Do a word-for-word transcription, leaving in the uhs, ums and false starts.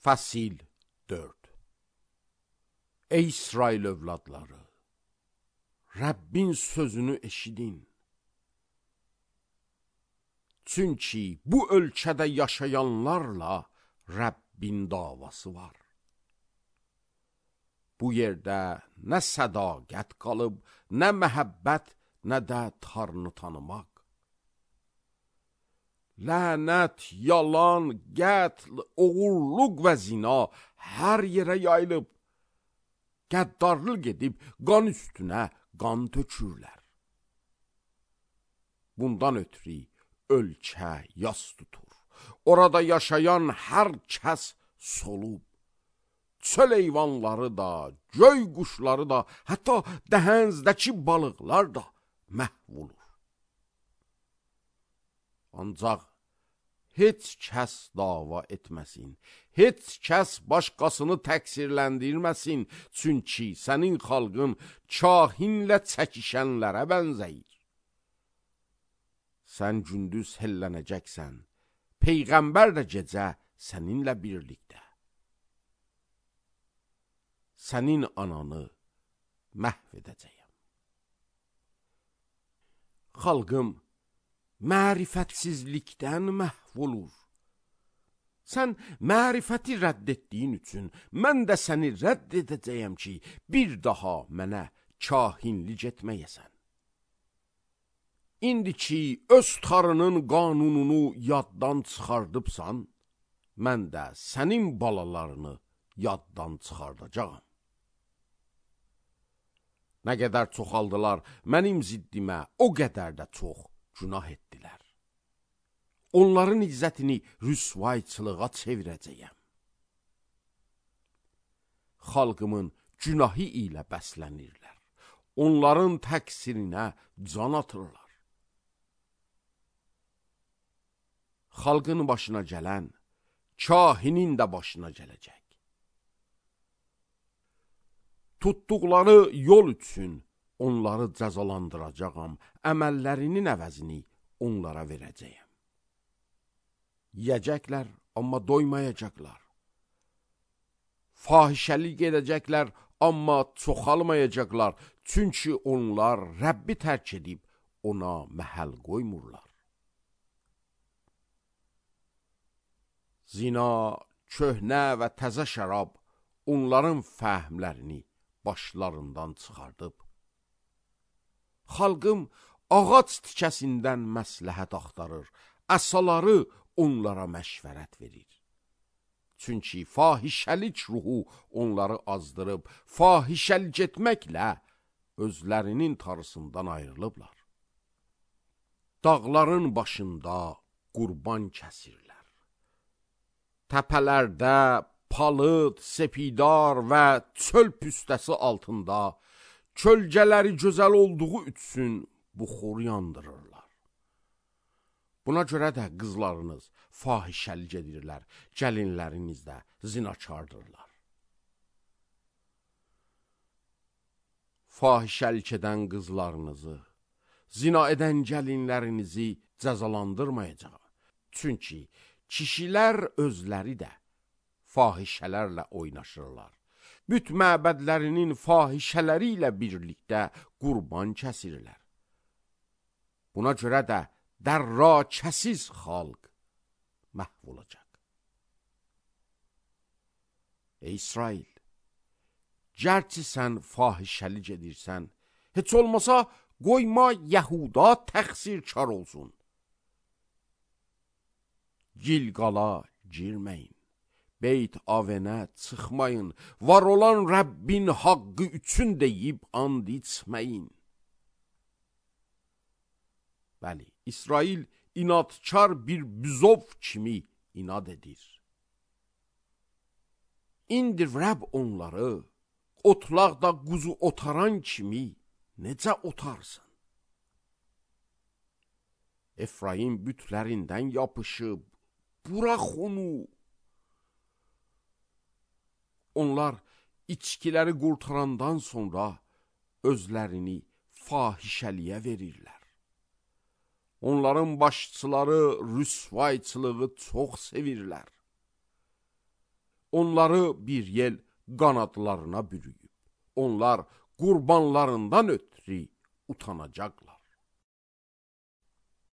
Fəsil dörd. Ey İsrail övladları, Rəbbin sözünü eşidin. Çünki bu ölkədə yaşayanlarla Rəbbin davası var. Bu yerdə nə sədaqət qalıb, nə məhəbbət, nə də Tanrını tanımaq. Lənət, yalan, qətl, oğurluq və zina hər yerə yayılıb. Qəddarlıq edib qan üstünə qan tökürlər. Bundan ötürü ölkə yas tutur. Orada yaşayan hər kəs solub. Çöl heyvanları da, göy quşları da, hətta dəhənizdəki balıqlar da məhv olur. Ancaq heç kəs dava etməsin, heç kəs başqasını təqsirləndirməsin, çünki sənin xalqın kahinlə çəkişənlərə bənzəyir. Sən gündüz hellənəcəksən, Peyğəmbər də gecə səninlə birlikdə. Sənin ananı məhv edəcəyəm. Xalqım mərifətsizlikdən məhv olur. Sən mərifəti rədd etdiyin üçün mən də səni rədd edəcəyəm ki, bir daha mənə kahinlik etməyəsən. İndi ki, öz tarının qanununu yaddan çıxardıbsan, mən də sənin balalarını yaddan çıxardacağam. Nə qədər çoxaldılar, mənim ziddimə o qədər də çox günah etdilər. Onların izzətini rüsvayçılığa çevirəcəyəm. Xalqımın günahı ilə bəslənirlər. Onların təqsirinə can atırlar. Xalqın başına gələn, kahinin də başına gələcək. Tutduqları yol üçün onları cəzalandıracağam, əməllərinin əvəzini onlara verəcəyəm. Yiyəcəklər, amma doymayacaqlar. Fahişəlik edəcəklər, amma çoxalmayacaqlar, çünki onlar Rəbbi tərk edib ona məhəl qoymurlar. Zina, köhnə və təzə şərab onların fəhmlərini başlarından çıxardıb. Xalqım ağac tikəsindən məsləhət axtarır, əsaları onlara məşvərət verir. Çünki fahişəlik ruhu onları azdırıb, fahişəlik etməklə özlərinin tarısından ayrılıblar. Dağların başında qurban kəsirlər. Təpələrdə palıd, sepidar və çöl püstəsi altında kölgələri gözəl olduğu üçün buxur yandırırlar. Buna görə də qızlarınız fahişəlik edirlər, gəlinləriniz də zinakardırlar. Fahişəlik edən qızlarınızı, zina edən gəlinlərinizi cəzalandırmayacaq. Çünki kişilər özləri də fahişələrlə oynaşırlar. Büt məbədlərinin fahişələri ilə birlikdə qurban kəsirlər. Buna görə də dərrakəsiz xalq məhv olacaq. Ey İsrail, gərçi sən fahişəlik edirsən, heç olmasa qoyma Yəhuda təqsirkar olsun. Gilqala girməyin. Beyt Avenə çıxmayın, var olan Rəbbin haqqı üçün deyib and içməyin. Bəli, İsrail inadkar bir büzov kimi inad edir. İndi Rəbb onları otlaqda quzu otaran kimi necə otarsın? Efraim bütlərindən yapışıb, burax onu. Onlar içkiləri qurtarandan sonra özlərini fahişəliyə verirlər. Onların başçıları rüsvayçılığı çox sevirlər. onları bir yel qanadlarına bürüyüb. Onlar qurbanlarından ötürü utanacaqlar.